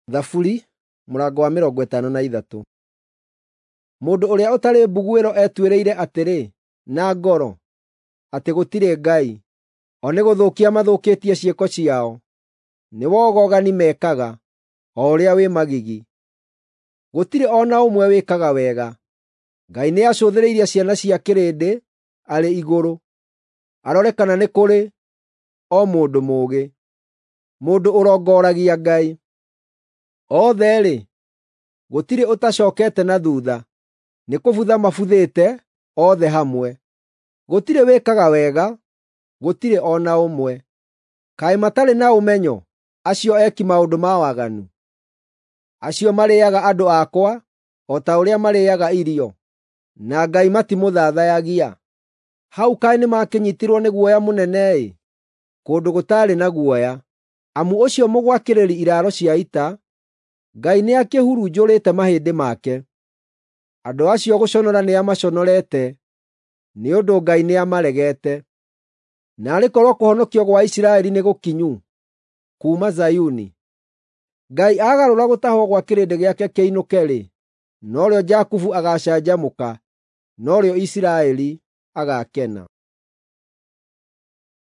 Thaburi mũrango wa 53. Mũndũ ũrĩa ũtarĩ mbuguĩro etuĩrĩire atĩrĩ na ngoro atĩ gũtirĩ Ngai. O nĩ gũthũkia mathũkĩtie ciĩko ciao, nĩ wogogani mekaga, o ũrĩa wĩ magigi. Gũtirĩ o na ũmwe wĩkaga wega. Ngai nĩacũthĩrĩirie ciana cia kĩrĩndĩ arĩ igũrũ, arore kana nĩ kũrĩ o mũndũ mũũgĩ, mũndũ ũrongoragia Ngai. Othe-rĩ, gũtirĩ ũtacookete na thuutha, nĩ kũbutha mabuthĩte othe hamwe. Gũtirĩ wĩkaga wega, gũtirĩ o na ũmwe. Kaĩ matarĩ na ũmenyo, acio eki maũndũ ma waganu, acio marĩĩaga andũ akwa o ta ũrĩa marĩĩaga irio, na Ngai matimũthathayagia? Hau kaĩ nĩmakĩnyiitirwo nĩ guoya mũnene-ĩ, kũndũ gũtaarĩ na guoya! Amu ũcio mũgwakĩrĩri iraaro cia ita, Ngai nĩakĩhurunjũrĩte mahĩndĩ make. Andũ acio gũconora nĩamaconorete, nĩ ũndũ Ngai nĩamaregete. Naarĩ korwo kũhonokio gwa Isiraeli nĩ gũkinyu kuuma Zayuni! Ngai aagarũra gũtahwo gwa kĩrĩndĩ gĩake kĩinũke-rĩ, norĩo Jakubu agaacanjamũka, norĩo Isiraeli agaakena.